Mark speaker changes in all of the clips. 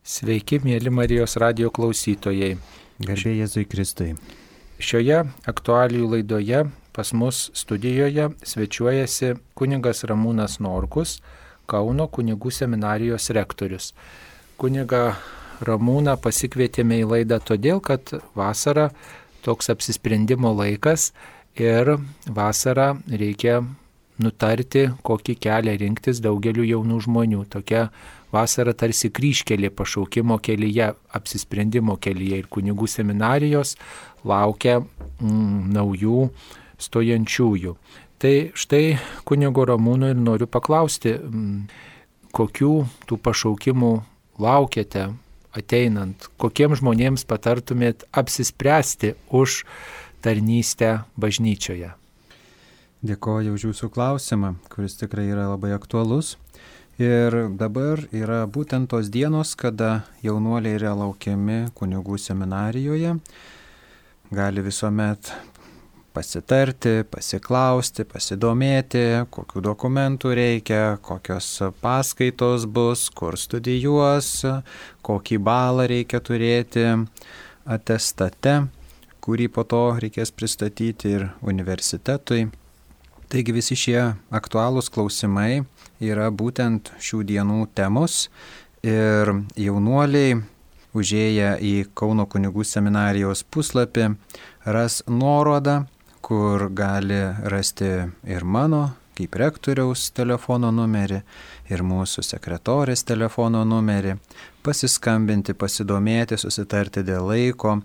Speaker 1: Sveiki, mėly Marijos radijo klausytojai.
Speaker 2: Garbė Jėzui Kristui.
Speaker 1: Šioje aktualijų laidoje pas mus studijoje svečiuojasi kunigas Ramūnas Norkus, Kauno kunigų seminarijos rektorius. Kuniga Ramūną pasikvietėme į laidą todėl, kad vasara toks apsisprendimo laikas ir vasarą reikia nutarti, kokį kelią rinktis daugeliu jaunų žmonių. Tokia vasara tarsi kryžkelė pašaukimo kelyje, apsisprendimo kelyje ir kunigų seminarijos laukia naujų stojančiųjų. Tai štai kunigo Ramūno ir noriu paklausti, kokių tų pašaukimų laukiate ateinant, kokiems žmonėms patartumėt apsispręsti už tarnystę bažnyčioje.
Speaker 2: Dėkoju už jūsų klausimą, kuris tikrai yra labai aktualus. Ir dabar yra būtent tos dienos, kada jaunuoliai yra laukiami kunigų seminarijoje. Gali visuomet pasitarti, pasiklausti, pasidomėti, kokių dokumentų reikia, kokios paskaitos bus, kur studijuos, kokį balą reikia turėti atestate, kurį po to reikės pristatyti ir universitetui. Taigi visi šie aktualūs klausimai yra būtent šių dienų temos ir jaunuoliai, užėję į Kauno kunigų seminarijos puslapį, ras nuorodą, kur gali rasti ir mano, kaip rektoriaus telefono numerį, ir mūsų sekretorės telefono numerį, pasiskambinti, pasidomėti, susitarti dėl laiko,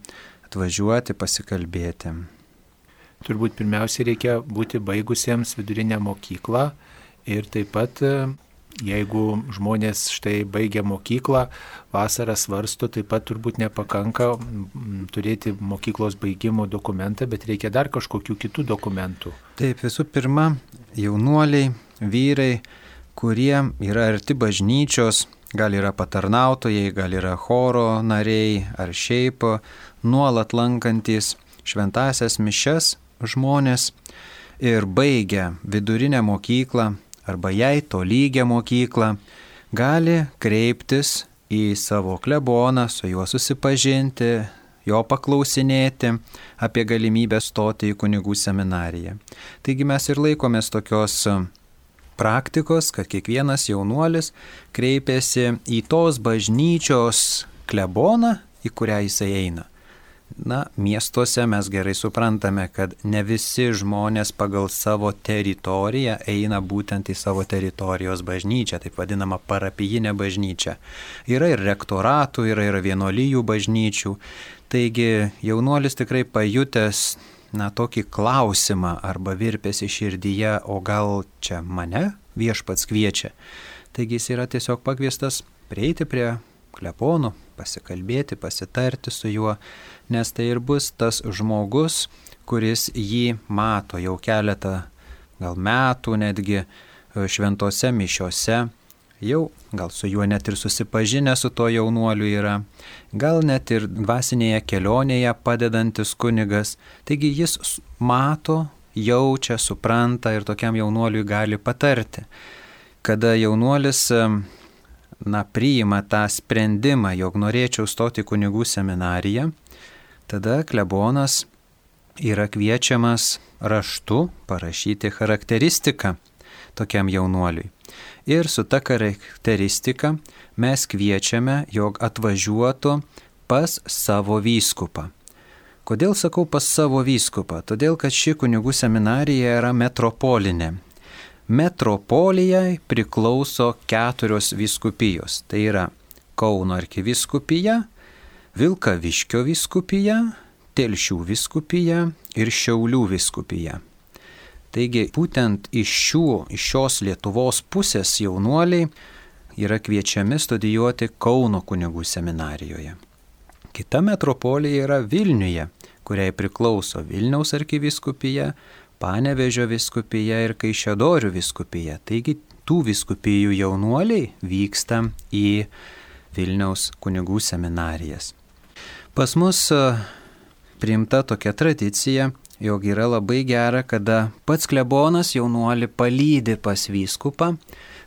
Speaker 2: atvažiuoti, pasikalbėti.
Speaker 1: Turbūt pirmiausia reikia būti baigusiems vidurinę mokyklą ir taip pat, jeigu žmonės štai baigia mokyklą, vasarą svarsto, taip pat turbūt nepakanka turėti mokyklos baigimo dokumentą, bet reikia dar kažkokių kitų dokumentų.
Speaker 2: Taip, visų pirma, jaunuoliai, vyrai, kurie yra arti bažnyčios, gal yra patarnautojai, gal yra choro nariai ar šiaip nuolat lankantis šventąsias mišias žmonės ir baigia vidurinę mokyklą arba jai tolygią mokyklą, gali kreiptis į savo kleboną, su juo susipažinti, jo paklausinėti apie galimybę stoti į kunigų seminariją. Taigi mes ir laikomės tokios praktikos, kad kiekvienas jaunuolis kreipiasi į tos bažnyčios kleboną, į kurią jisai eina. Na, miestuose mes gerai suprantame, kad ne visi žmonės pagal savo teritoriją eina būtent į savo teritorijos bažnyčią, taip vadinama parapijinė bažnyčia. Yra ir rektoratų, yra ir vienuolijų bažnyčių. Taigi jaunuolis tikrai pajutęs tokį klausimą arba virpėsi širdyje, o gal čia mane viešpats kviečia. Taigi jis yra tiesiog pakviestas prieiti prie klebono, pasikalbėti, pasitarti su juo, nes tai ir bus tas žmogus, kuris jį mato jau keletą gal metų netgi šventose mišiose, jau gal su juo net ir susipažinę su to jaunuoliu yra, gal net ir dvasinėje kelionėje padedantis kunigas, taigi jis mato, jaučia, supranta ir tokiam jaunuoliui gali patarti. Kada jaunuolis priima tą sprendimą, jog norėčiau stoti kunigų seminariją, tada klebonas yra kviečiamas raštu parašyti charakteristiką tokiam jaunuoliui. Ir su ta charakteristika mes kviečiame, jog atvažiuotų pas savo vyskupą. Kodėl sakau pas savo vyskupą? Todėl, kad ši kunigų seminarija yra metropolinė. Metropolijai priklauso 4 vyskupijos. Tai yra Kauno arkivyskupija, Vilkaviškio vyskupija, Telšių vyskupija ir Šiaulių vyskupija. Taigi būtent iš šios Lietuvos pusės jaunuoliai yra kviečiami studijuoti Kauno kunigų seminarijoje. Kita metropolija yra Vilniuje, kuriai priklauso Vilniaus arkivyskupija, Panevėžio vyskupija ir Kaišiadorių vyskupija. Taigi tų vyskupijų jaunuoliai vyksta į Vilniaus kunigų seminarijas. Pas mus priimta tokia tradicija, jog yra labai gera, kada pats klebonas jaunuolį palydi pas vyskupą,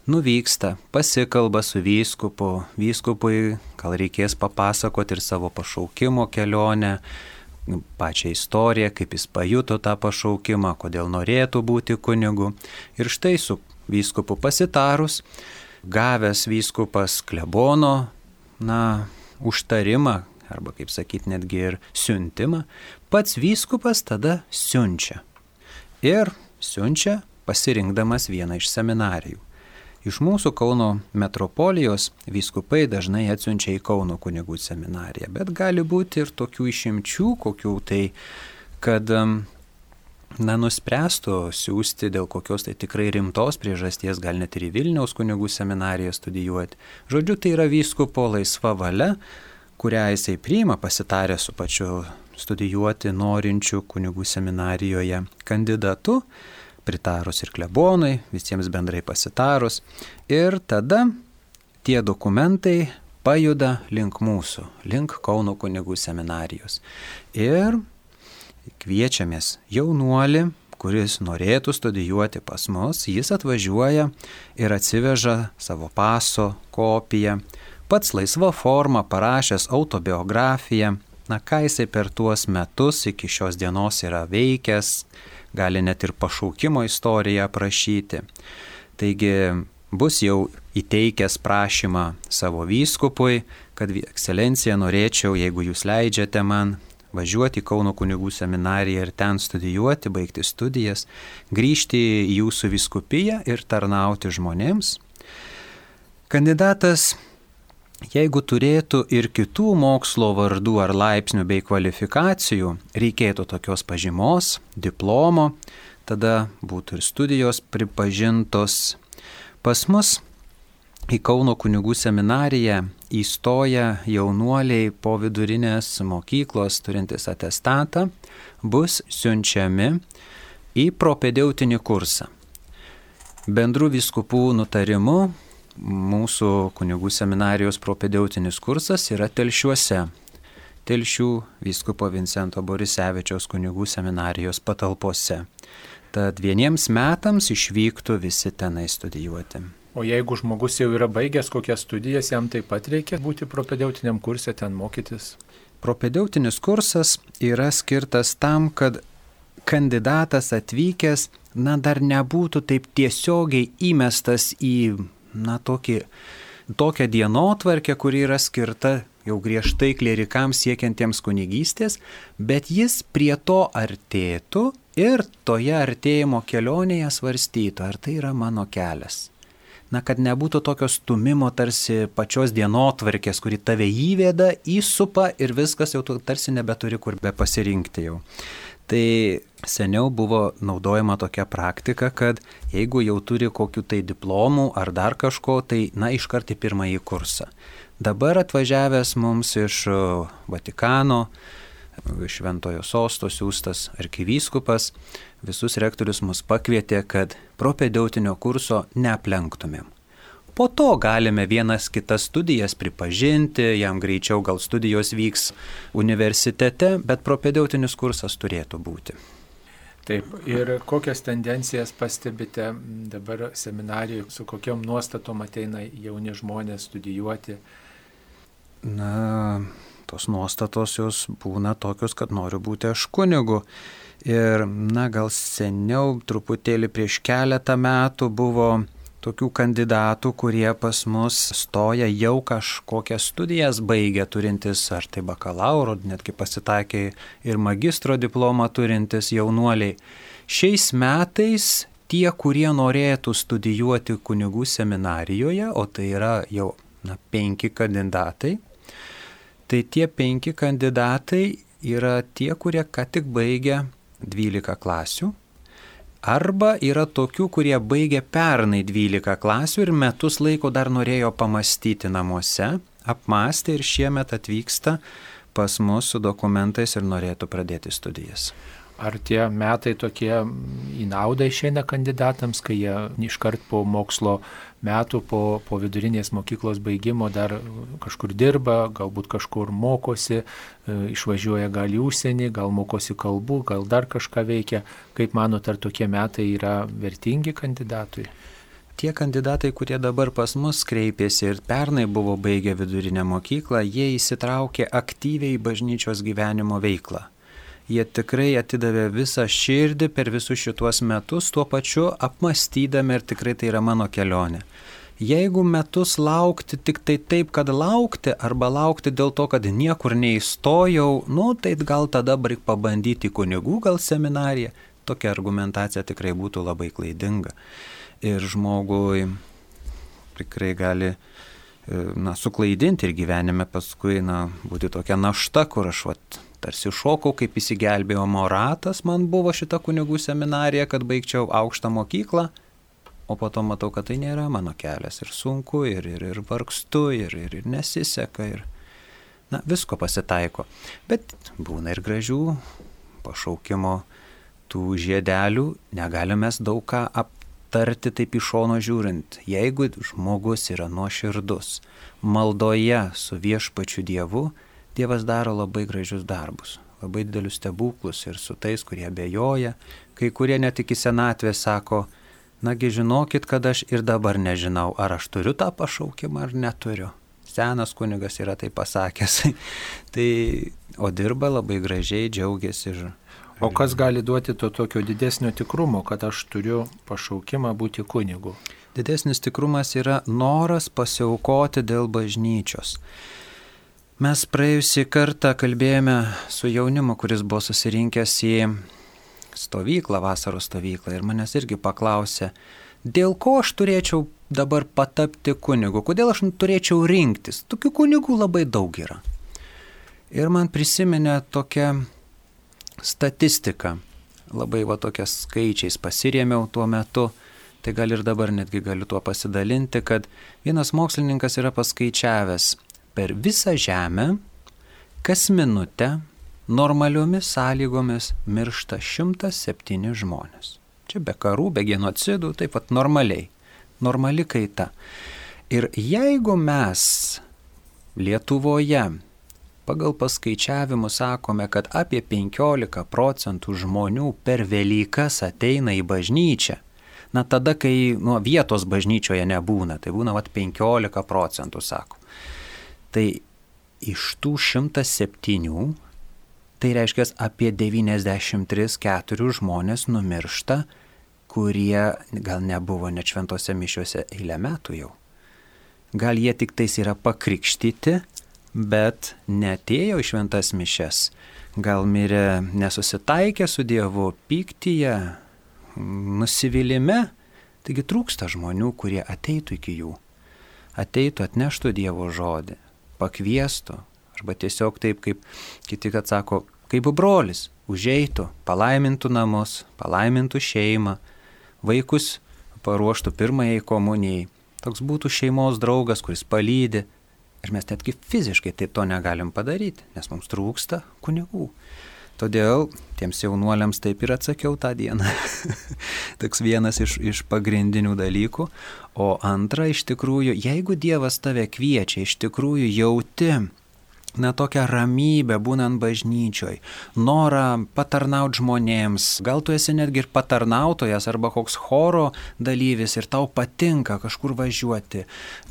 Speaker 2: nuvyksta, pasikalba su vyskupu, vyskupui gal reikės papasakoti ir savo pašaukimo kelionę, pačią istoriją, kaip jis pajuto tą pašaukimą, kodėl norėtų būti kunigu. Ir štai su vyskupu pasitarus, gavęs vyskupas klebono, užtarimą, arba kaip sakyti, netgi ir siuntimą, pats vyskupas tada siunčia. Ir siunčia pasirinkdamas vieną iš seminarijų. Iš mūsų Kauno metropolijos vyskupai dažnai atsiunčia į Kauno kunigų seminariją, bet gali būti ir tokių išimčių, kokių tai, kad nuspręstų siūsti dėl kokios tai tikrai rimtos priežasties, gal net ir į Vilniaus kunigų seminariją studijuoti. Žodžiu, tai yra vyskupo laisva valia, kurią jisai priima pasitarę su pačiu studijuoti norinčių kunigų seminarijoje kandidatu, pritarus ir klebonui, visiems bendrai pasitarus. Ir tada tie dokumentai pajuda link mūsų, link Kauno kunigų seminarijos. Ir kviečiamės jaunuolį, kuris norėtų studijuoti pas mus, jis atvažiuoja ir atsiveža savo paso kopiją, pats laisva forma parašęs autobiografiją, ką jisai per tuos metus iki šios dienos yra veikęs, gali net ir pašaukimo istoriją aprašyti. Taigi bus jau įteikęs prašymą savo vyskupui, kad ekscelencija norėčiau, jeigu jūs leidžiate man, važiuoti į Kauno kunigų seminariją ir ten studijuoti, baigti studijas, grįžti į jūsų vyskupiją ir tarnauti žmonėms. Kandidatas, jeigu turėtų ir kitų mokslo vardų ar laipsnių bei kvalifikacijų, reikėtų tokios pažymos, diplomo, tada būtų ir studijos pripažintos. Pas mus į Kauno kunigų seminariją įstoja jaunuoliai po vidurinės mokyklos turintys atestatą, bus siunčiami į propedeutinį kursą. Bendrų vyskupų nutarimu mūsų kunigų seminarijos propedeutinis kursas yra Telšiuose, Telšių vyskupo Vincento Borisevičiaus kunigų seminarijos patalpose. Tad 1 metams išvyktų visi tenai studijuoti.
Speaker 1: O jeigu žmogus jau yra baigęs kokias studijas, jam taip pat reikia būti propedeutiniam kurse ten mokytis?
Speaker 2: Propedeutinis kursas yra skirtas tam, kad kandidatas atvykęs, dar nebūtų taip tiesiogiai įmestas į tokią dienotvarkę, kuri yra skirta jau griežtai klierikams siekiantiems kunigystės, bet jis prie to artėtų ir toje artėjimo kelionėje svarstytų, ar tai yra mano kelias. Kad nebūtų tokio stumimo tarsi pačios dienotvarkės, kuri tave įveda, įsupa ir viskas jau tarsi nebeturi kur be pasirinkti jau. Tai seniau buvo naudojama tokia praktika, kad jeigu jau turi kokių tai diplomų ar dar kažko, tai iškart į pirmąjį kursą. Dabar atvažiavęs mums iš Vatikano, iš Šventojo Sosto siųstas arkivyskupas, visus rektorius mus pakvietė, kad propedeutinio kurso neaplenktumėm. Po to galime vienas kitas studijas pripažinti, jam greičiau gal studijos vyks universitete, bet propedeutinis kursas turėtų būti.
Speaker 1: Taip, ir kokias tendencijas pastebite dabar seminarijoje, su kokiom nuostatom ateina jauni žmonės studijuoti?
Speaker 2: Tos nuostatos jos būna tokios, kad noriu būti aš kunigu. Ir, gal seniau, truputėlį prieš keletą metų buvo tokių kandidatų, kurie pas mus stoja jau kažkokias studijas baigę turintis, ar tai bakalauro, netgi pasitaikė ir magistro diplomą turintis jaunuoliai. Šiais metais tie, kurie norėtų studijuoti kunigų seminarijoje, o tai yra jau 5 kandidatai, tai tie 5 kandidatai yra tie, kurie ką tik baigė 12 klasių. Arba yra tokių, kurie baigė pernai 12 klasių ir metus laiko dar norėjo pamastyti namuose, apmąstė ir šiemet atvyksta pas mus su dokumentais ir norėtų pradėti studijas.
Speaker 1: Ar tie metai tokie į naudą išeina kandidatams, kai jie iškart po mokslo metų, po vidurinės mokyklos baigimo dar kažkur dirba, galbūt kažkur mokosi, išvažiuoja gal į užsienį, gal mokosi kalbų, gal dar kažką veikia. Kaip manot, ar tokie metai yra vertingi kandidatui?
Speaker 2: Tie kandidatai, kurie dabar pas mus kreipėsi ir pernai buvo baigę vidurinę mokyklą, jie įsitraukė aktyviai į bažnyčios gyvenimo veiklą. Jie tikrai atidavė visą širdį per visus šituos metus, tuo pačiu apmastydami, ir tikrai tai yra mano kelionė. Jeigu metus laukti tik tai taip, kad laukti, arba laukti dėl to, kad niekur neįstojau, tai gal tada reik pabandyti kunigų, gal seminariją. Tokia argumentacija tikrai būtų labai klaidinga. Ir žmogui tikrai gali suklaidinti ir gyvenime paskui būti tokia našta, kur aš tarsi šokau, kaip įsigelbėjimo ratas man buvo šita kunigų seminarija, kad baigčiau aukštą mokyklą. O po to matau, kad tai nėra mano kelias ir sunku, ir vargstu, ir nesiseka, ir visko pasitaiko. Bet būna ir gražių pašaukimo tų žiedelių, negalim mes daug ką aptarti taip iš šono žiūrint. Jeigu žmogus yra nuoširdus, maldoje su viešpačiu Dievu, Dievas daro labai gražius darbus, labai didelius stebuklus ir su tais, kurie abejoja, kai kurie net iki senatvės sako, nagi žinokit, kad aš ir dabar nežinau, ar aš turiu tą pašaukimą ar neturiu. Senas kunigas yra tai pasakęs. O dirba labai gražiai, džiaugiasi.
Speaker 1: O kas gali duoti to tokio didesnio tikrumo, kad aš turiu pašaukimą būti kunigu?
Speaker 2: Didesnis tikrumas yra noras pasiaukoti dėl bažnyčios. Mes praėjusį kartą kalbėjome su jaunimu, kuris buvo susirinkęs į stovyklą, vasaros stovyklą, ir manęs irgi paklausė, dėl ko aš turėčiau dabar patapti kunigu, kodėl aš turėčiau rinktis, tokių kunigų labai daug yra. Ir man prisiminė tokia statistika, labai tokias skaičiais pasirėmiau tuo metu, tai gal ir dabar netgi galiu tuo pasidalinti, kad vienas mokslininkas yra paskaičiavęs, per visą žemę kas minutę normaliomis sąlygomis miršta 107 žmonės. Čia be karų, be genocidų, taip pat normaliai. Normali kaita. Ir jeigu mes Lietuvoje pagal paskaičiavimus sakome, kad apie 15% žmonių per Velykas ateina į bažnyčią, tada, kai vietos bažnyčioje nebūna, tai būna 15%, sako. Tai iš tų 107 tai reiškia, apie 93-4 žmonės numiršta, kurie gal nebuvo net šventose mišiuose eilę metų jau. Gal jie tik tais yra pakrikštyti, bet neatėjo į šventas mišias. Gal mirė nesusitaikė su Dievu, pyktyje, nusivylime. Taigi trūksta žmonių, kurie ateitų iki jų. Ateitų, atneštų Dievo žodį, pakviestų. Arba tiesiog taip, kaip kiti, kad sako, kaip brolis, užeitų, palaimintų namus, palaimintų šeimą, vaikus paruoštų pirmajai komunijai. Toks būtų šeimos draugas, kuris palydi. Ir mes netgi fiziškai taip to negalim padaryti, nes mums trūksta kunigų. Todėl tiems jaunuoliams taip ir atsakiau tą dieną. Toks vienas iš pagrindinių dalykų. O antra, iš tikrųjų, jeigu Dievas tave kviečia, iš tikrųjų jauti tokią ramybę būnant bažnyčioj, norą patarnauti žmonėms, gal tu esi netgi ir patarnautojas arba koks choro dalyvis ir tau patinka kažkur važiuoti,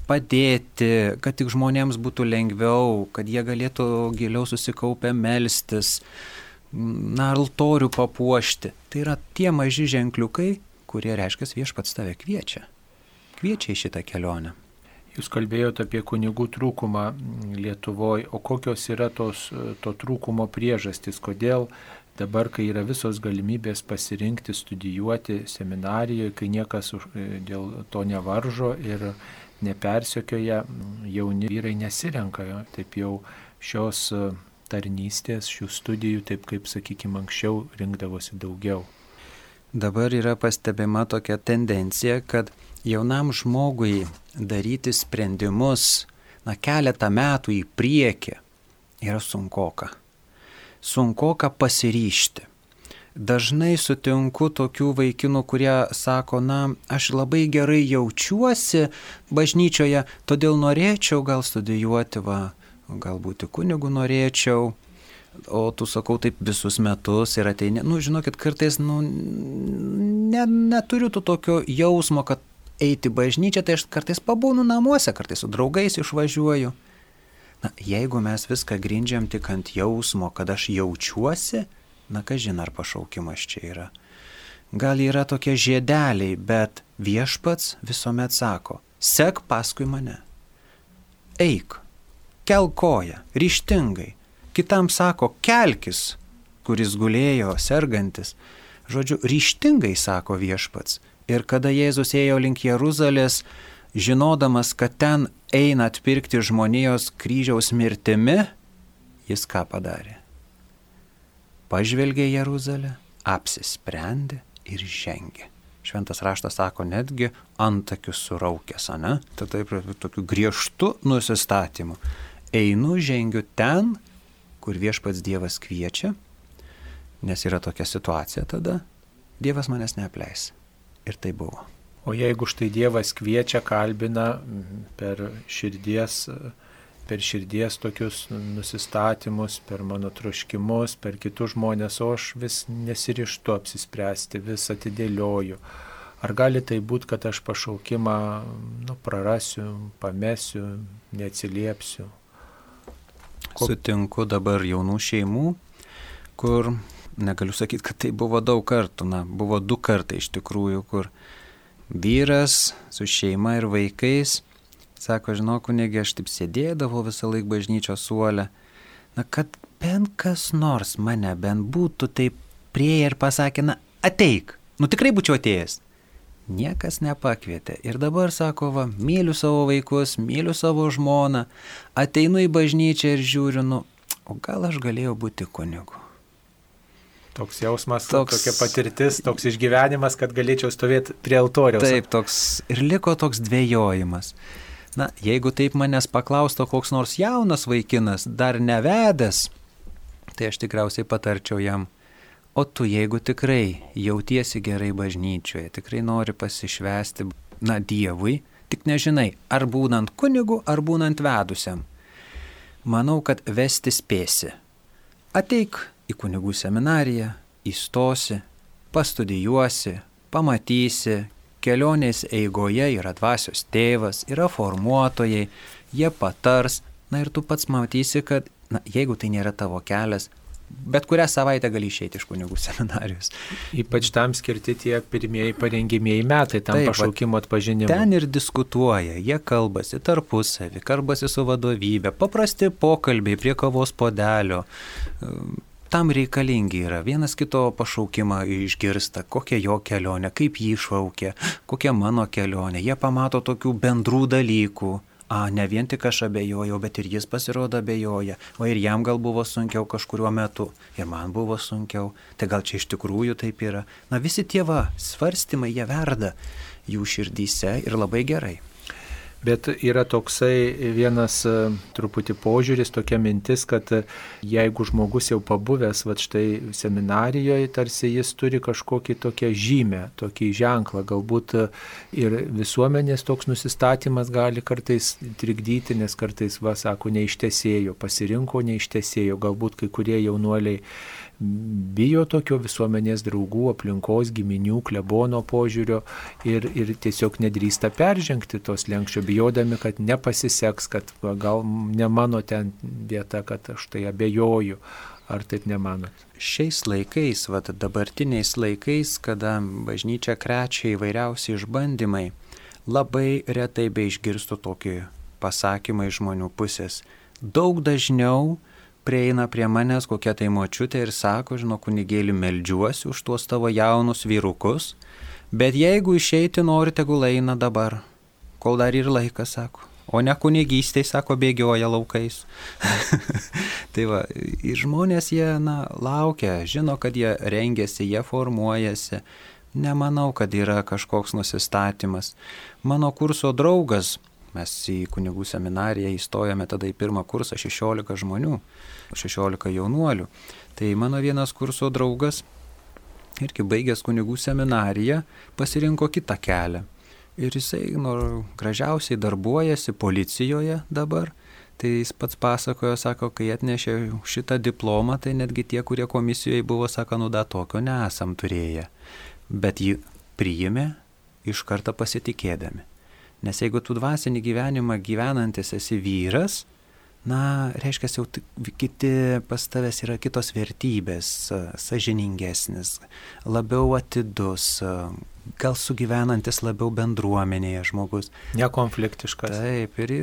Speaker 2: padėti, kad tik žmonėms būtų lengviau, kad jie galėtų giliau susikaupę melstis, altorių papuošti. Tai yra tie maži ženkliukai, kurie reiškia viešpats tave kviečia į šitą kelionę.
Speaker 1: Jūs kalbėjote apie kunigų trūkumą Lietuvoje, o kokios yra to trūkumo priežastys, kodėl dabar, kai yra visos galimybės pasirinkti, studijuoti seminarijoje, kai niekas dėl to nevaržo ir nepersekioja, jauni vyrai nesirenka taip jau šios tarnystės, šių studijų, taip kaip, sakykime, anksčiau rinkdavosi daugiau.
Speaker 2: Dabar yra pastebima tokia tendencija, kad jaunam žmogui daryti sprendimus, keletą metų į priekį yra sunkoka. Sunkoka pasiryžti. Dažnai sutinku tokių vaikinų, kurie sako, aš labai gerai jaučiuosi bažnyčioje, todėl norėčiau gal studijuoti, gal būti kunigu norėčiau. O tu sakau taip visus metus ir ateini. Žinokit, kartais neturiu to tokio jausmo, kad eiti bažnyčią, tai aš kartais pabūnu namuose, kartais su draugais išvažiuoju. Na, jeigu mes viską grindžiam tik ant jausmo, kad aš jaučiuosi, na, kažin ar pašaukimas čia yra. Gal yra tokie žiedeliai, bet viešpats visuomet sako, sek paskui mane. Eik, kelk koją, ryžtingai. Kitam sako, kelkis, kuris gulėjo, sergantis. Žodžiu, ryžtingai sako viešpats. Ir kada Jėzus ėjo link Jeruzalės, žinodamas, kad ten eina atpirkti žmonijos kryžiaus mirtimi, jis ką padarė? Pažvelgė Jeruzalę, apsisprendė ir žengė. Šventas raštas sako, netgi antakius suraukęs, ne? Tai taip, tokiu griežtu nusistatymu. Einu, žengiu ten, kur viešpats Dievas kviečia, nes yra tokia situacija tada, Dievas manęs neapleis. Ir tai buvo.
Speaker 1: O jeigu štai Dievas kviečia, kalbina per širdies tokius nusistatymus, per mano troškimus, per kitus žmonės, o aš vis nesirištu apsispręsti, vis atidėlioju. Ar gali tai būti, kad aš pašaukimą prarasiu, pamesiu, neatsiliepsiu?
Speaker 2: Sutinku dabar jaunų šeimų, kur, negaliu sakyti, kad tai buvo daug kartų, buvo 2 kartai iš tikrųjų, kur vyras su šeima ir vaikais sako, žinok, kunigi, aš taip sėdėdavau visą laiką bažnyčios suole, kad bent kas nors mane bent būtų taip prieėję ir pasakė, ateik, tikrai būčiau atėjęs. Niekas nepakvietė. Ir dabar sako, myliu savo vaikus, myliu savo žmoną, ateinu į bažnyčią ir žiūriu, o gal aš galėjau būti kunigu.
Speaker 1: Toks jausmas, tokia patirtis, toks išgyvenimas, kad galėčiau stovėti prie altoriaus.
Speaker 2: Taip, ir liko toks dvejojimas. Jeigu taip manęs paklausto koks nors jaunas vaikinas, dar nevedęs, tai aš tikriausiai patarčiau jam, o tu jeigu tikrai jautiesi gerai bažnyčioje, tikrai nori pasišvęsti, Dievui, tik nežinai, ar būnant kunigu, ar būnant vedusiam. Manau, kad vesti spėsi. Ateik į kunigų seminariją, įstosi, pastudijuosi, pamatysi, kelionės eigoje yra dvasios tėvas, yra formuotojai, jie patars, ir tu pats matysi, kad, jeigu tai nėra tavo kelias, bet kurią savaitę gali išeiti iš kunigų seminarijos.
Speaker 1: Ypač tam skirti tie pirmieji parengimieji metai, tam pašaukimo atpažinimui.
Speaker 2: Ten ir diskutuoja, jie kalbasi tarpusavį, kalbasi su vadovybė, paprasti pokalbiai prie kavos puodelio. Tam reikalingi yra, vienas kito pašaukimą išgirsta, kokia jo kelionė, kaip jį šaukia, kokia mano kelionė. Jie pamato tokių bendrų dalykų. Ne vien tik aš abejojau, bet ir jis pasirodo abejoja. O ir jam gal buvo sunkiau kažkuriuo metu. Ir man buvo sunkiau. Tai gal čia iš tikrųjų taip yra. Visi tie svarstymai, jie verda jų širdyse ir labai gerai.
Speaker 1: Bet yra toksai vienas truputį požiūris, tokia mintis, kad jeigu žmogus jau pabuvęs štai seminarijoje, tarsi jis turi kažkokį tokią žymę, tokį ženklą, galbūt ir visuomenės toks nusistatymas gali kartais trikdyti, nes kartais, sako, neištesėjo, pasirinko neištesėjo, galbūt kai kurie jaunuoliai bijo tokio visuomenės draugų, aplinkos, giminių, klebono požiūrio ir tiesiog nedrįsta peržengti tos lenkščio, bijodami, kad nepasiseks, kad gal ne mano ten vieta, kad aš tai abejoju. Ar taip nemanot?
Speaker 2: Šiais laikais, dabartiniais laikais, kada bažnyčia krečia įvairiausi išbandymai, labai retai beišgirstu tokį pasakymą iš žmonių pusės. Daug dažniau prieina prie manęs kokia tai močiutė ir sako, žinok, kunigėli, meldžiuosi už tuos tavo jaunus vyrukus, bet jeigu išeiti nori, tegul eina dabar, kol dar ir laikas, sako. O ne kunigystėj, sako, bėgioja laukais. Tai ir žmonės jie, laukia, žino, kad jie rengiasi, jie formuojasi. Nemanau, kad yra kažkoks nusistatymas. Mano kurso draugas, mes į kunigų seminariją įstojome tada į pirmą kursą 16 žmonių, 16 jaunuolių. Tai mano vienas kurso draugas, irgi baigęs kunigų seminariją, pasirinko kitą kelią. Ir jisai gražiausiai darbuojasi policijoje dabar. Tai jis pats pasakojo, sako, kai atnešė šitą diplomą, tai netgi tie, kurie komisijoje buvo, sako, tokio nesam turėję. Bet jį priėmė iš karto pasitikėdami. Nes jeigu tu dvasinį gyvenimą gyvenantis esi vyras, reiškia, jau kiti pas tavęs yra kitos vertybės, sąžiningesnis, labiau atidus, gal sugyvenantis labiau bendruomenėje žmogus.
Speaker 1: Nekonfliktiškas.
Speaker 2: Taip, ir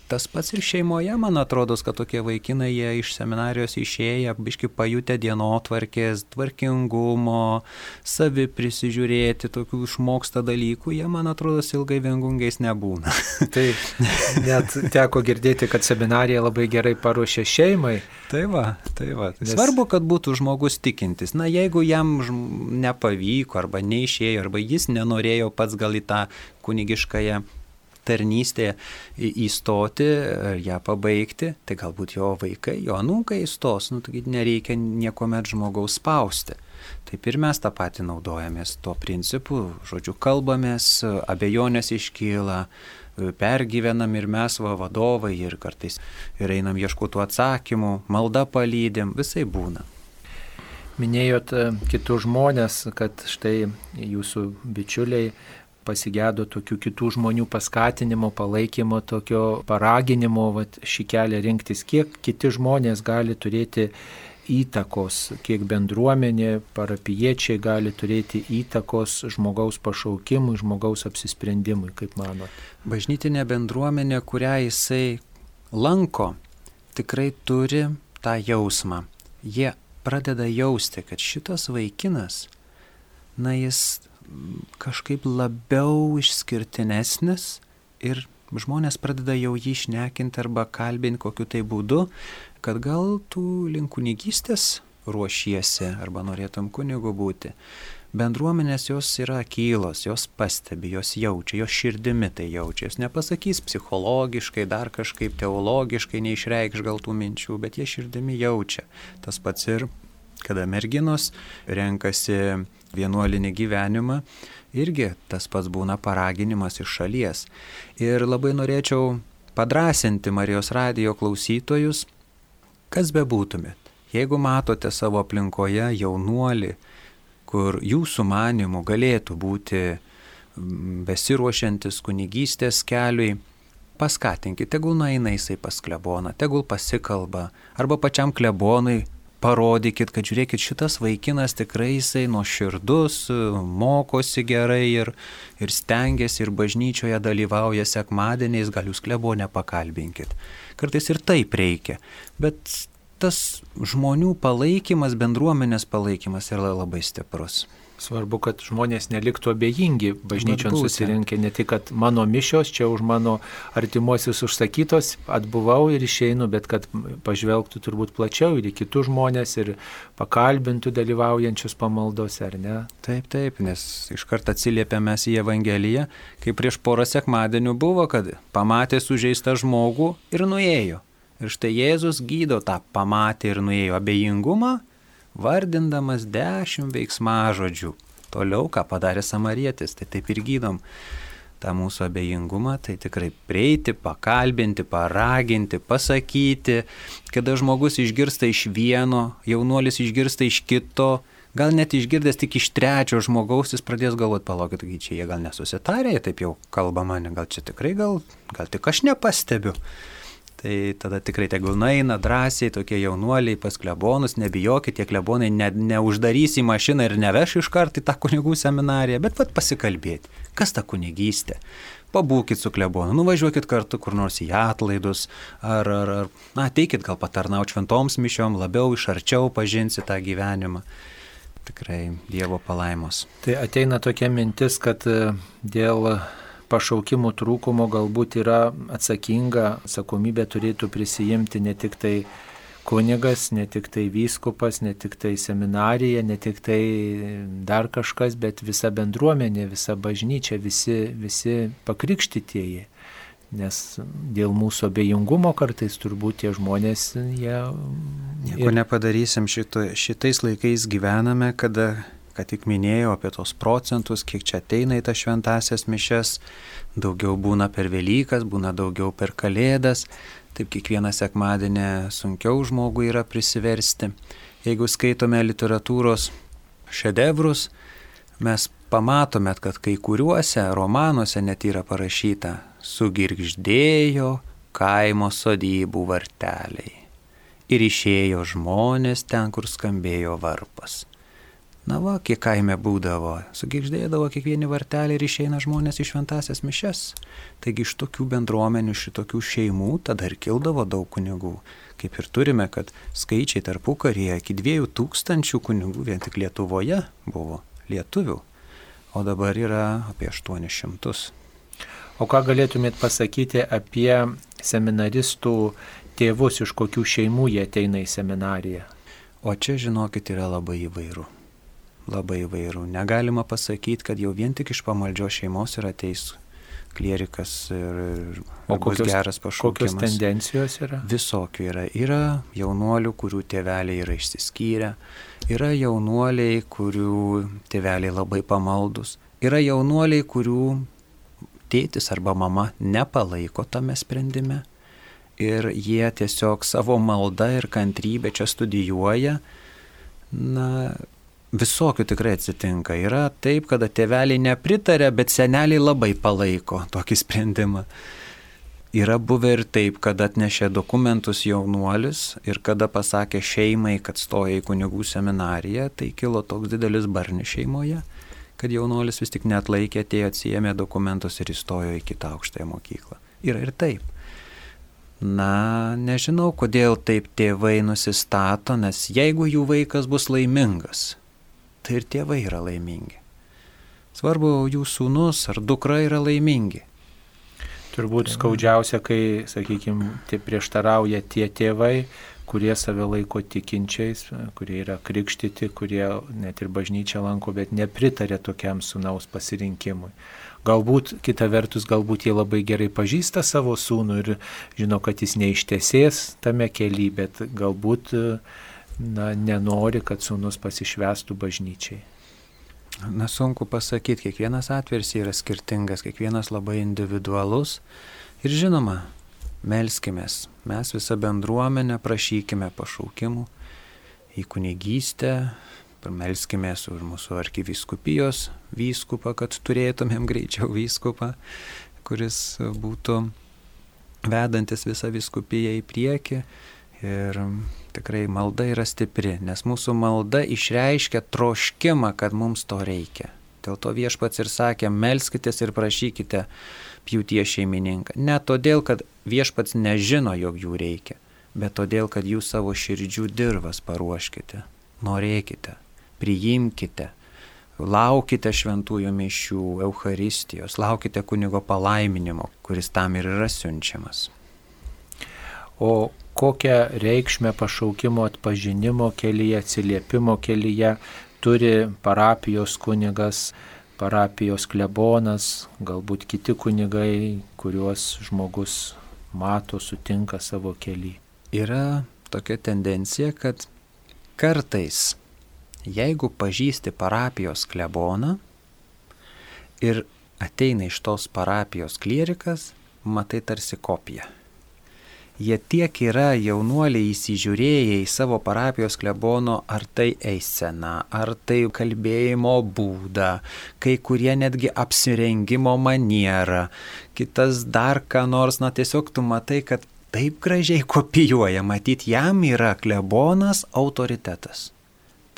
Speaker 2: tas pats ir šeimoje, man atrodo, kad tokie vaikinai, jie iš seminarijos išėję, biški pajutę dienotvarkės, tvarkingumo, savi prisižiūrėti, tokių išmoksta dalykų, jie, man atrodo, ilgai viengungiais nebūna.
Speaker 1: Taip, net teko girdėti, kad seminarija labai gerai paruošė šeimai.
Speaker 2: Tai va. Nes... Svarbu, kad būtų žmogus tikintis. Jeigu jam nepavyko, arba neišėjo, arba jis nenorėjo pats gal į tą kunigiškąją tarnystėje įstoti, ją pabaigti, tai galbūt jo vaikai, jo anūkai įstos, tai nereikia niekuomet žmogaus spausti. Taip ir mes tą patį naudojamės tuo principu, žodžiu, kalbamės, abejonės iškyla, pergyvenam ir mes vadovai ir kartais ir einam ieškoti atsakymų, malda palydim, visai būna.
Speaker 1: Minėjot kitus žmonės, kad štai jūsų bičiuliai pasigėdo tokių kitų žmonių paskatinimo, palaikymo, tokio paraginimo, šį kelią rinktis. Kiek kiti žmonės gali turėti įtakos, kiek bendruomenė, parapijiečiai gali turėti įtakos žmogaus pašaukimui, žmogaus apsisprendimui, kaip manot?
Speaker 2: Bažnytinė bendruomenė, kurią jisai lanko, tikrai turi tą jausmą. Jie pradeda jausti, kad šitas vaikinas, jis kažkaip labiau išskirtinesnis ir žmonės pradeda jau jį šnekinti arba kalbinti kokiu tai būdu, kad gal tu link kunigystės ruošiesi arba norėtum kunigu būti. Bendruomenės jos yra akylos, jos pastebi, jos jaučia, jos širdimi tai jaučia. Jos nepasakys psichologiškai, dar kažkaip teologiškai neišreikš gal tų minčių, bet jie širdimi jaučia. Tas pats ir kada merginos renkasi vienuolinį gyvenimą, irgi tas pats būna paraginimas iš šalies. Ir labai norėčiau padrąsinti Marijos radijo klausytojus, kas bebūtumėt. Jeigu matote savo aplinkoje jaunuolį, kur jūsų manimų galėtų būti besiruošiantis kunigystės keliui, paskatinkite, tegul nueina jisai pas kleboną, tegul pasikalba, arba pačiam klebonui parodykit, kad žiūrėkit, šitas vaikinas tikrai jisai nuoširdus, mokosi gerai ir stengiasi ir bažnyčioje dalyvauja sekmadieniais, gal jūs klebonę pakalbinkit. Kartais ir taip reikia, bet tas žmonių palaikymas, bendruomenės palaikymas yra labai stiprus.
Speaker 1: Svarbu, kad žmonės neliktų abejingi bažnyčion susirinkę, ne tik, kad mano mišios čia už mano artimuosius užsakytos, atbuvau ir išeinu, bet kad pažvelgtų turbūt plačiau ir į kitus žmonės ir pakalbintų dalyvaujančius pamaldose, ar ne?
Speaker 2: Taip, nes iškart atsiliepėme mes į Evangeliją, kai prieš porą sekmadienių buvo, kad pamatė sužeistą žmogų ir nuėjo. Ir štai Jėzus gydo tą pamatė ir nuėjo abejingumą, vardindamas 10 veiksmažodžių. Toliau, ką padarė samarietis, tai taip ir gydom tą mūsų abejingumą, tai tikrai prieiti, pakalbinti, paraginti, pasakyti, kada žmogus išgirsta iš vieno, jaunuolis išgirsta iš kito, gal net išgirdęs tik iš trečio žmogaus, jis pradės galvoti, palaukit, čia jie gal nesusitarė, taip jau kalba mane, gal čia tikrai, gal tik aš nepastebiu. Tai tada tikrai tegul nueina drąsiai tokie jaunuoliai pas klebonus, nebijokit, tie klebonai neuždarys į mašiną ir neveš iš karto į tą kunigų seminariją, bet pasikalbėti, kas ta kunigystė. Pabūkit su klebonu, nuvažiuokit kartu kur nors į atlaidus, ar ateikit gal patarnauti šventoms mišiom, labiau iš arčiau pažinsi tą gyvenimą. Tikrai Dievo palaimos.
Speaker 1: Tai ateina tokia mintis, kad dėl pašaukimų trūkumo galbūt yra atsakomybė turėtų prisijimti ne tik tai kunigas, ne tik tai vyskupas, ne tik tai seminarija, ne tik tai dar kažkas, bet visa bendruomenė, visa bažnyčia, visi pakrikštytieji. Nes dėl mūsų abejingumo kartais turbūt tie žmonės, jie...
Speaker 2: Nieko nepadarysim, šitais laikais gyvename, kada... Ką tik minėjau apie tos procentus, kiek čia ateina į tas šventasias mišias, daugiau būna per Velykas, būna daugiau per Kalėdas, taip kiekvieną sekmadienį sunkiau žmogui yra prisiversti. Jeigu skaitome literatūros šedevrus, mes pamatomėt, kad kai kuriuose romanuose net yra parašyta sugirgždėjo kaimo sodybų varteliai ir išėjo žmonės ten, kur skambėjo varpas. Na va, kiek kaime būdavo, sugirgždėdavo kiekvieni varteliai ir išeina žmonės į šventasias mišias. Taigi iš tokių bendruomenių, iš tokių šeimų tada ir kildavo daug kunigų. Kaip ir turime, kad skaičiai tarpukaryje iki 2000 kunigų vien tik Lietuvoje buvo lietuvių, o dabar yra apie 800.
Speaker 1: O ką galėtumėt pasakyti apie seminaristų tėvus, iš kokių šeimų jie ateina į seminariją?
Speaker 2: O čia, žinokit, yra labai įvairu. Labai įvairių. Negalima pasakyti, kad jau vien tik iš pamaldžios šeimos yra ateis klierikas ir bus geras pašaukimas.
Speaker 1: Kokios tendencijos yra?
Speaker 2: Visokių yra. Yra jaunuolių, kurių tėveliai yra išsiskyrę. Yra jaunuoliai, kurių tėveliai labai pamaldus. Yra jaunuoliai, kurių tėtis arba mama nepalaiko tame sprendime. Ir jie tiesiog savo maldą ir kantrybę čia studijuoja. Na, visokių tikrai atsitinka. Yra taip, kada tėveliai nepritarė, bet seneliai labai palaiko tokį sprendimą. Yra buvę ir taip, kad atnešė dokumentus jaunuolis ir kada pasakė šeimai, kad stoja į kunigų seminariją, tai kilo toks didelis barnis šeimoje, kad jaunuolis vis tik neatlaikė, atėjo, atsiėmė dokumentus ir įstojo į kitą aukštąją mokyklą. Yra ir taip. Na, nežinau, kodėl taip tėvai nusistato, nes jeigu jų vaikas bus laimingas, tai ir tėvai yra laimingi. Svarbu, jų sūnus ar dukra yra laimingi.
Speaker 1: Turbūt skaudžiausia, kai, sakykime, prieštarauja tie tėvai, kurie save laiko tikinčiais, kurie yra krikštyti, kurie net ir bažnyčią lanko, bet nepritarė tokiam sūnaus pasirinkimui. Galbūt, kita vertus, galbūt jie labai gerai pažįsta savo sūnų ir žino, kad jis neištesės tame kelyje, bet galbūt nenori, kad sūnus pasišvestų bažnyčiai.
Speaker 2: Na, sunku pasakyti, kiekvienas atvejis yra skirtingas, kiekvienas labai individualus. Ir žinoma, melskimės, mes visą bendruomenę prašykime pašaukimų į kunigystę, melskimės už mūsų arkivyskupijos vyskupą, kad turėtumėm greičiau vyskupą, kuris būtų vedantis visą vyskupiją į priekį. Ir tikrai malda yra stipri, nes mūsų malda išreiškia troškimą, kad mums to reikia. Dėl to Viešpats ir sakė, melskitės ir prašykite pjūties šeimininką. Ne todėl, kad Viešpats nežino, jog jų reikia, bet todėl, kad jūs savo širdžių dirvas paruoškite, norėkite, priimkite, laukite šventųjų mišių, Eucharistijos, laukite kunigo palaiminimo, kuris tam ir yra siunčiamas.
Speaker 1: O kokią reikšmę pašaukimo atpažinimo kelyje, atsiliepimo kelyje turi parapijos kunigas, parapijos klebonas, galbūt kiti kunigai, kuriuos žmogus mato, sutinka savo kelyje?
Speaker 2: Yra tokia tendencija, kad kartais, jeigu pažįsti parapijos kleboną ir ateina iš tos parapijos klierikas, matai tarsi kopiją. Jie tiek yra jaunuoliai įsižiūrėję į savo parapijos klebono, ar tai eisena, ar tai kalbėjimo būdą, kai kurie netgi apsirengimo manierą, kitas dar ką nors, na tiesiog tu matai, kad taip gražiai kopijuoja, matyt, jam yra klebonas autoritetas.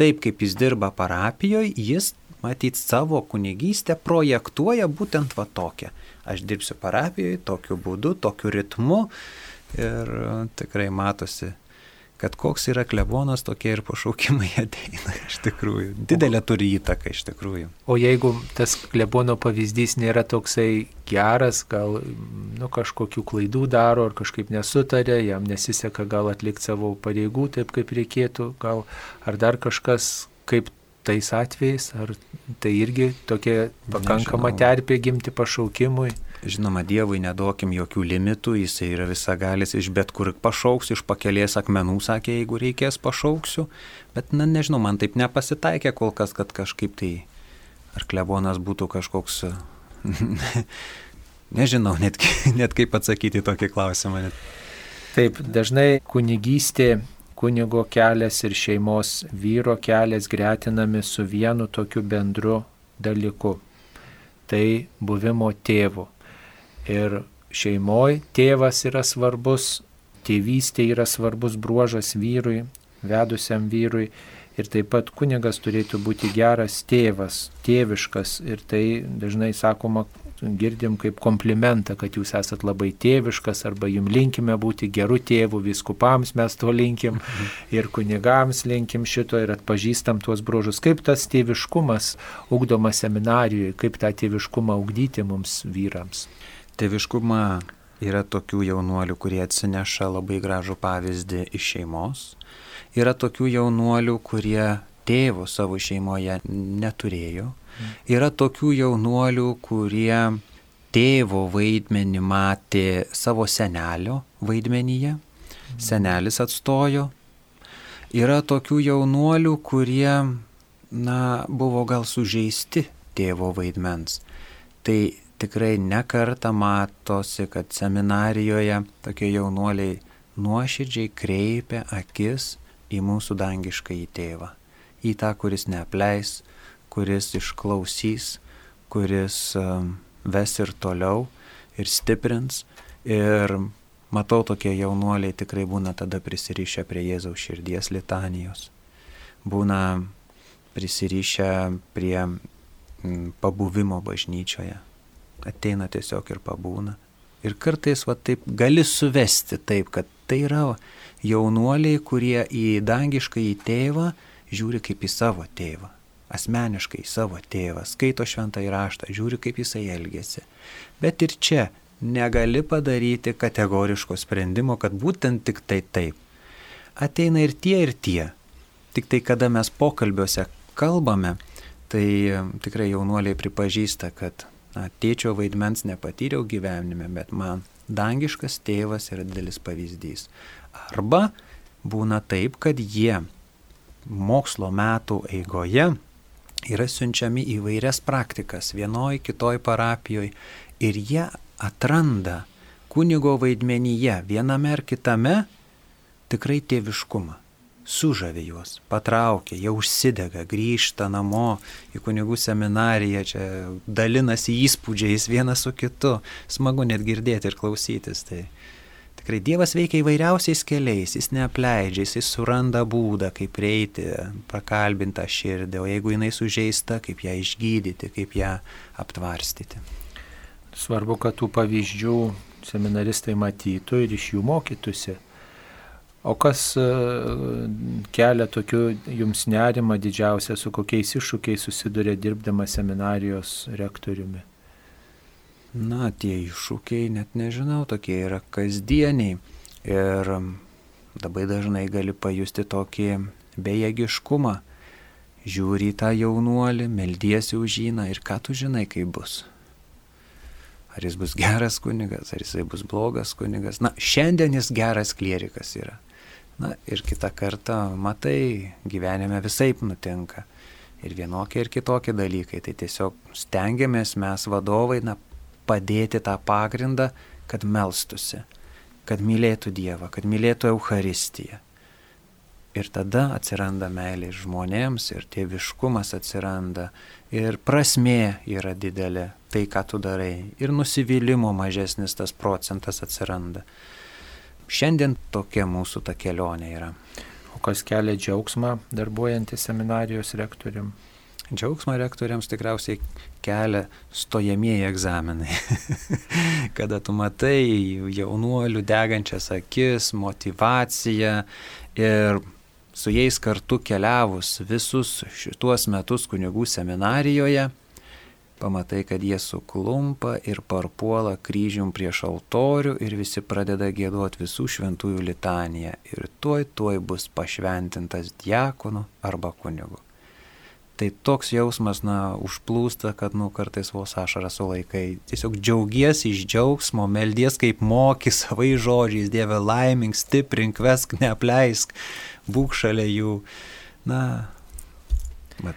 Speaker 2: Taip kaip jis dirba parapijoje, jis, matyt, savo kunigystę projektuoja būtent va tokią. Aš dirbsiu parapijoje tokiu būdu, tokiu ritmu. Ir tikrai matosi, kad koks yra klebonas, tokie ir pašaukimai ateina iš tikrųjų. Didelė turi įtaką iš tikrųjų.
Speaker 1: O jeigu tas klebono pavyzdys nėra toksai geras, gal kažkokių klaidų daro ar kažkaip nesutarė, jam nesiseka gal atlikti savo pareigų taip, kaip reikėtų, gal ar dar kažkas, kaip tais atvejais, ar tai irgi tokia pakankama terpė gimti pašaukimui?
Speaker 2: Žinoma, Dievui neduokim jokių limitų, jisai yra visagalis, iš bet kur pašauks, iš pakelės akmenų, sakė, jeigu reikės pašauksiu, bet, nežinau, man taip nepasitaikė kol kas, kad kažkaip tai, ar klebonas būtų kažkoks, nežinau, net kaip atsakyti tokį klausimą.
Speaker 1: Taip, dažnai kunigystė, kunigo kelias ir šeimos vyro kelias gretinami su vienu tokiu bendru dalyku. Tai buvimo tėvu. Ir šeimoje tėvas yra svarbus, tėvystė yra svarbus bruožas vyrui, vedusiam vyrui. Ir taip pat kunigas turėtų būti geras tėvas, tėviškas. Ir tai dažnai sakoma, girdim kaip komplimentą, kad jūs esat labai tėviškas, arba jums linkime būti gerų tėvų, vyskupams mes to linkim, ir kunigams linkim šito ir atpažįstam tuos bruožus. Kaip tas tėviškumas ugdomas seminarijoje, kaip tą tėviškumą ugdyti mums vyrams?
Speaker 2: Tėviškumą yra tokių jaunuolių, kurie atsineša labai gražų pavyzdį iš šeimos. Yra tokių jaunuolių, kurie tėvo savo šeimoje neturėjo. Yra tokių jaunuolių, kurie tėvo vaidmenį matė savo senelio vaidmenyje. Senelis atstojo. Yra tokių jaunuolių, kurie, buvo gal sužeisti tėvo vaidmens. Tai tikrai nekartą matosi, kad seminarijoje tokie jaunuoliai nuoširdžiai kreipia akis į mūsų dangiškąjį tėvą, į tą, kuris neapleis, kuris išklausys, kuris ves ir toliau ir stiprins. Ir matau, tokie jaunuoliai tikrai būna tada prisirišę prie Jėzaus širdies litanijos, būna prisirišę prie pabuvimo bažnyčioje, ateina tiesiog ir pabūna. Ir kartais taip gali suvesti taip, kad tai yra jaunuoliai, kurie į dangiškąjį tėvą žiūri kaip į savo tėvą, asmeniškai į savo tėvą, skaito šventąjį raštą, žiūri kaip jisai elgiasi. Bet ir čia negali padaryti kategoriško sprendimo, kad būtent tik tai taip. Ateina ir tie. Tik tai kada mes pokalbiuose kalbame, tai tikrai jaunuoliai pripažįsta, kad tėčio vaidmens nepatyriau gyvenime, bet man dangiškas tėvas yra didelis pavyzdys. Arba būna taip, kad jie mokslo metų eigoje yra siunčiami į vairias praktikas vienoj, kitoj parapijoje ir jie atranda kunigo vaidmenyje viename ar kitame tikrai tėviškumą. Sužavi juos, patraukia, jie užsidega, grįžta namo į kunigų seminariją, čia dalinasi įspūdžiais vienas su kitu. Smagu net girdėti ir klausytis. Tai tikrai Dievas veikia įvairiausiais keliais, jis neapleidžia, jis suranda būdą, kaip prieiti, prakalbintą širdį, o jeigu jinai sužeista, kaip ją išgydyti, kaip ją aptvarstyti.
Speaker 1: Svarbu, kad tų pavyzdžių seminaristai matytų ir iš jų mokytųsi. O kas kelia tokių jums nerimą didžiausia, su kokiais iššūkiais susiduria dirbdama seminarijos rektoriumi?
Speaker 2: Tie iššūkiai, net nežinau, tokie yra kasdieniai. Ir labai dažnai gali pajusti tokį bejėgiškumą. Žiūri į tą jaunuolį, meldiesi už jį, ir ką tu žinai, kaip bus. Ar jis bus geras kunigas, ar jisai bus blogas kunigas. Šiandien jis geras klierikas yra. Ir kitą kartą, matai, gyvenime visaip nutinka. Ir vienokie, ir kitokie dalykai. Tai tiesiog stengiamės mes vadovai padėti tą pagrindą, kad melstusi, kad mylėtų Dievą, kad mylėtų Eucharistiją. Ir tada atsiranda meilė žmonėms, ir tėviškumas atsiranda, ir prasmė yra didelė, tai ką tu darai, ir nusivylimo mažesnis tas procentas atsiranda. Šiandien tokia mūsų ta kelionė yra.
Speaker 1: O kas kelia džiaugsmą darbuojantis seminarijos rektorium?
Speaker 2: Džiaugsmą rektoriams tikriausiai kelia stojamieji egzaminai. Kada tu matai jaunuolių degančias akis, motyvaciją ir su jais kartu keliavus visus šituos metus kunigų seminarijoje, pamatai, kad jie suklumpa ir parpuola kryžium prieš altorių ir visi pradeda giedoti visų šventųjų litaniją. Ir tuoj bus pašventintas diakonu arba kunigu. Tai toks jausmas, užplūsta, kad kartais vos ašarą sulaikai. Tiesiog džiaugiesi iš džiaugsmo, meldies kaip moki savai žodžiais, Dieve laimink, stiprink, vesk, neapleisk, būk šalia jų.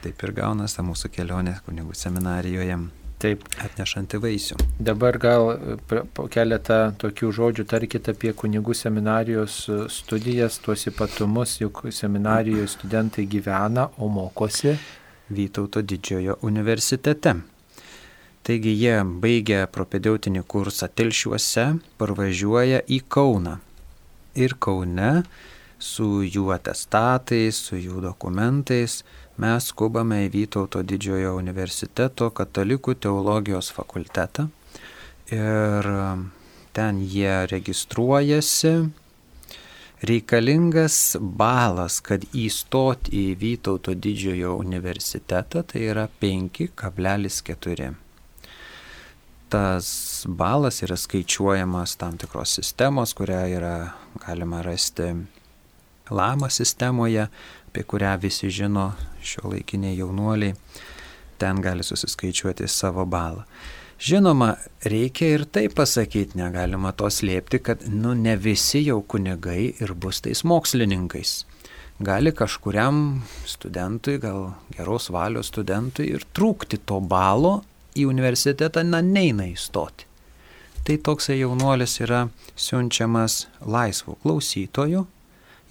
Speaker 2: Taip ir gaunasi mūsų kelionė kunigų seminarijoje,
Speaker 1: taip
Speaker 2: atnešanti vaisių.
Speaker 1: Dabar gal po keletą tokių žodžių tarkite apie kunigų seminarijos studijas, tuos ypatumus, juk seminarijoje studentai gyvena, o mokosi
Speaker 2: Vytauto didžiojo universitete. Taigi jie baigė propedeutinį kursą Telšiuose, parvažiuoja į Kauną. Ir Kaune su jų atestatais, su jų dokumentais mes skubame į Vytauto didžiojo universiteto katalikų teologijos fakultetą. Ir ten jie registruojasi. Reikalingas balas, kad įstoti į Vytauto didžiojo universitetą, tai yra 5,4. Tas balas yra skaičiuojamas tam tikros sistemos, kurią yra galima rasti LAMA sistemoje, apie kurią visi žino šiuolaikiniai jaunuoliai. Ten gali susiskaičiuoti savo balą. Žinoma, reikia ir tai pasakyti, negalima to slėpti, kad ne visi jau kunigai ir bus tais mokslininkais. Gali kažkuriam studentui, gal geros valios studentui ir trūkti to balo, į universitetą neina įstoti. Tai toksai jaunuolis yra siunčiamas laisvų klausytojų.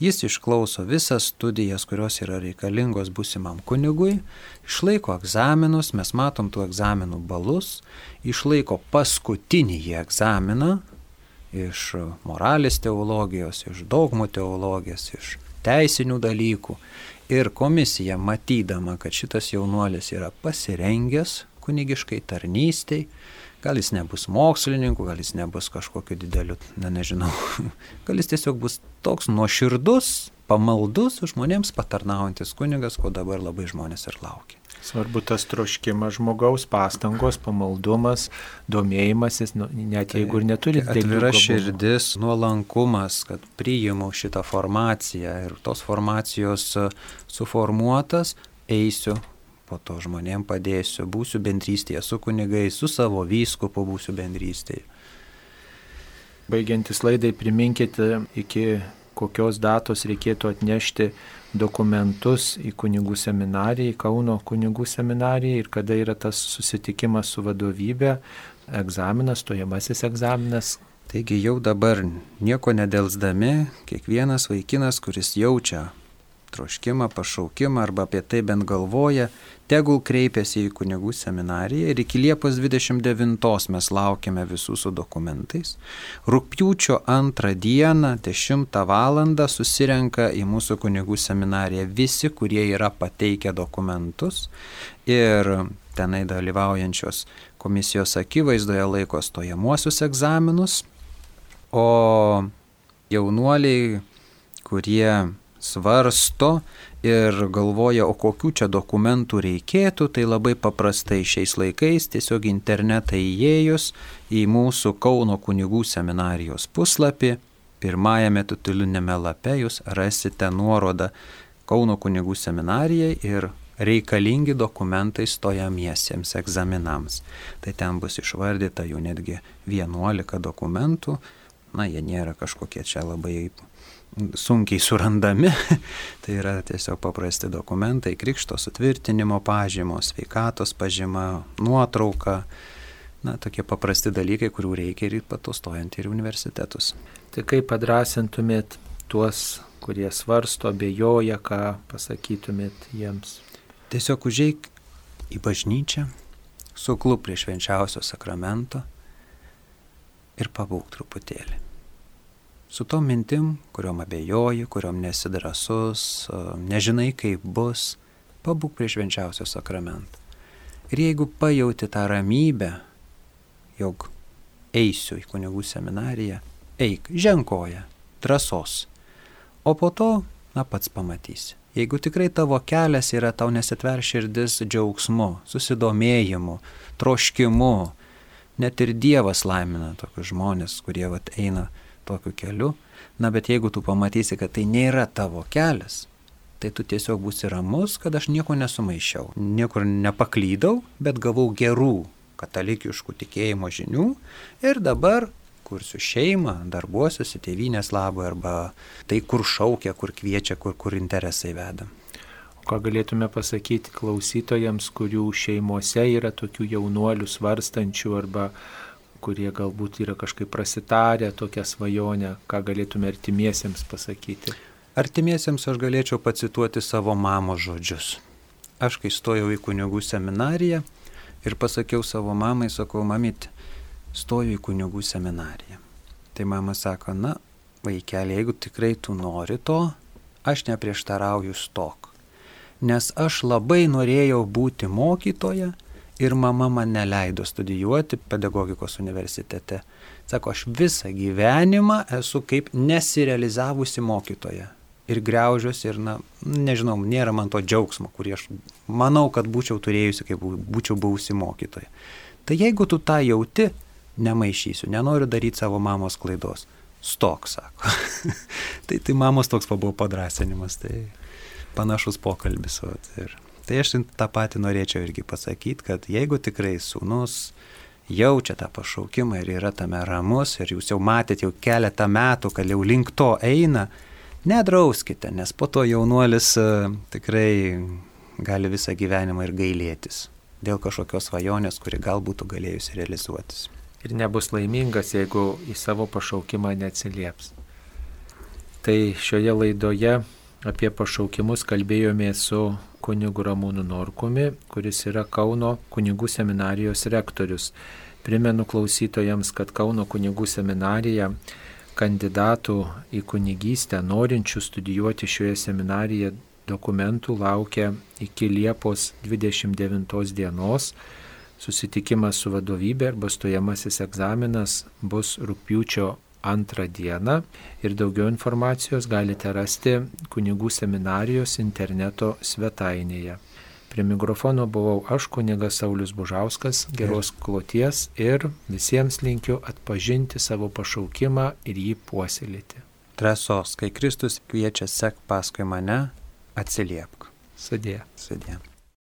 Speaker 2: Jis išklauso visas studijas, kurios yra reikalingos būsimam kunigui, išlaiko egzaminus, mes matom tų egzaminų balus, išlaiko paskutinį egzaminą iš moralės teologijos, iš dogmų teologijos, iš teisinių dalykų. Ir komisija, matydama, kad šitas jaunuolis yra pasirengęs kunigiškai tarnystei, gal jis nebus mokslininku, gal jis nebus kažkokiu dideliu, nežinau, gal jis tiesiog bus toks nuoširdus, pamaldus, žmonėms patarnaujantis kunigas, ko dabar labai žmonės ir laukia.
Speaker 1: Svarbu tas troškimas žmogaus, pastangos, pamaldumas, domėjimasis, net jeigu ir neturi didelių
Speaker 2: atvira širdis, nuolankumas, kad priimu šitą formaciją ir tos formacijos suformuotas, eisiu, po to žmonėm padėsiu, būsiu bendrystėje su kunigais, su savo vyskupu būsiu bendrystėje.
Speaker 1: Baigiantis laidai, priminkite, iki kokios datos reikėtų atnešti dokumentus į kunigų seminariją, į Kauno kunigų seminariją ir kada yra tas susitikimas su vadovybė, egzaminas, stojamasis egzaminas.
Speaker 2: Taigi jau dabar nieko nedelsdami, kiekvienas vaikinas, kuris jaučia troškimą, pašaukimą arba apie tai bent galvoja, tegul kreipiasi į kunigų seminariją ir iki Liepos 29 mes laukiame visų su dokumentais. Rugpjūčio 2 dieną 10 valandą susirenka į mūsų kunigų seminariją visi, kurie yra pateikę dokumentus ir tenai dalyvaujančios komisijos akivaizdoje laiko stojamuosius egzaminus, o jaunuoliai, kurie svarsto ir galvoja, o kokių čia dokumentų reikėtų, tai labai paprastai šiais laikais tiesiog internetą įėjus į mūsų Kauno kunigų seminarijos puslapį, pirmajame titulinėme lape jūs rasite nuorodą Kauno kunigų seminarijai ir reikalingi dokumentai stojamiesiems egzaminams. Tai ten bus išvardyta jų netgi 11 dokumentų, jie nėra kažkokie čia labai sunkiai surandami, tai yra tiesiog paprasti dokumentai, krikšto sutvirtinimo pažymos, sveikatos pažyma, nuotrauka, tokie paprasti dalykai, kurių reikia ir patustojant ir universitetus.
Speaker 1: Tai kaip padrasintumėt tuos, kurie svarsto, abejoja, ką pasakytumėt jiems?
Speaker 2: Tiesiog užeik į bažnyčią, suklūp prie švenčiausio sakramento ir pabūk truputėlį. Su tom mintim, kuriom abejoji, kuriom nesi drąsus, nežinai kaip bus, pabūk prie švenčiausio sakramento. Ir jeigu pajauti tą ramybę, jog eisiu į kunigų seminariją, eik, ženkoja, drąsos. O po to, pats pamatysi. Jeigu tikrai tavo kelias yra tau nesitver širdis džiaugsmu, susidomėjimu, troškimu, net ir Dievas laimina tokius žmonės, kurie eina tokiu keliu, bet jeigu tu pamatysi, kad tai nėra tavo kelias, tai tu tiesiog būsi ramus, kad aš nieko nesumaišiau, niekur nepaklydau, bet gavau gerų katalikiškų tikėjimo žinių ir dabar kursiu šeimą, darbuosiuosi tėvynės labui arba tai, kur šaukia, kur kviečia, kur interesai veda.
Speaker 1: O ką galėtume pasakyti klausytojams, kurių šeimose yra tokių jaunuolių svarstančių arba kurie galbūt yra kažkaip prasitarę tokią svajonę, ką galėtume artimiesiems pasakyti?
Speaker 2: Artimiesiems aš galėčiau pacituoti savo mamos žodžius. aš kai stojau į kunigų seminariją ir pasakiau savo mamai, sakau, mamyt, stoju į kunigų seminariją. Tai mama sako, na, vaikeli, jeigu tikrai tu nori to, aš neprieštarauju, stok. Nes aš labai norėjau būti mokytoja ir mama man neleido studijuoti pedagogikos universitete. Sako, aš visą gyvenimą esu kaip nesirealizavusi mokytoja. Ir griaužiuosi ir, nežinau, nėra man to džiaugsmo, kurį aš manau, kad būčiau turėjusi, kaip būčiau buvusi mokytoja. Tai jeigu tu tą jauti, nemaišysiu, nenoriu daryti savo mamos klaidos. Stok, sako. tai mamos toks buvo padrasinimas, tai panašus pokalbis. Tai aš tą patį norėčiau irgi pasakyti, kad jeigu tikrai sūnus jaučia tą pašaukimą ir yra tame ramus ir jūs jau matėt jau keletą metų, kad jau link to eina, nedrauskite, nes po to jaunuolis tikrai gali visą gyvenimą ir gailėtis dėl kažkokios svajonės, kuri gal būtų galėjusi realizuotis.
Speaker 1: Ir nebus laimingas, jeigu į savo pašaukimą neatsilieps. Tai šioje laidoje apie pašaukimus kalbėjome su kunigu Ramūnu Norkumi, kuris yra Kauno kunigų seminarijos rektorius. Primenu klausytojams, kad Kauno kunigų seminarija kandidatų į kunigystę, norinčių studijuoti šioje seminarijoje dokumentų laukia iki Liepos 29 dienos. Susitikimas su vadovybė arba stojamasis egzaminas bus rugpjūčio 2 dieną ir daugiau informacijos galite rasti kunigų seminarijos interneto svetainėje. Prie mikrofono buvau aš, kunigas Saulius Bužauskas, geros kloties ir visiems linkiu atpažinti savo pašaukimą ir jį puoselėti.
Speaker 2: Drąsos, kai Kristus kviečia sek paskui mane, atsiliepk.
Speaker 1: Sudie.
Speaker 2: Sudie.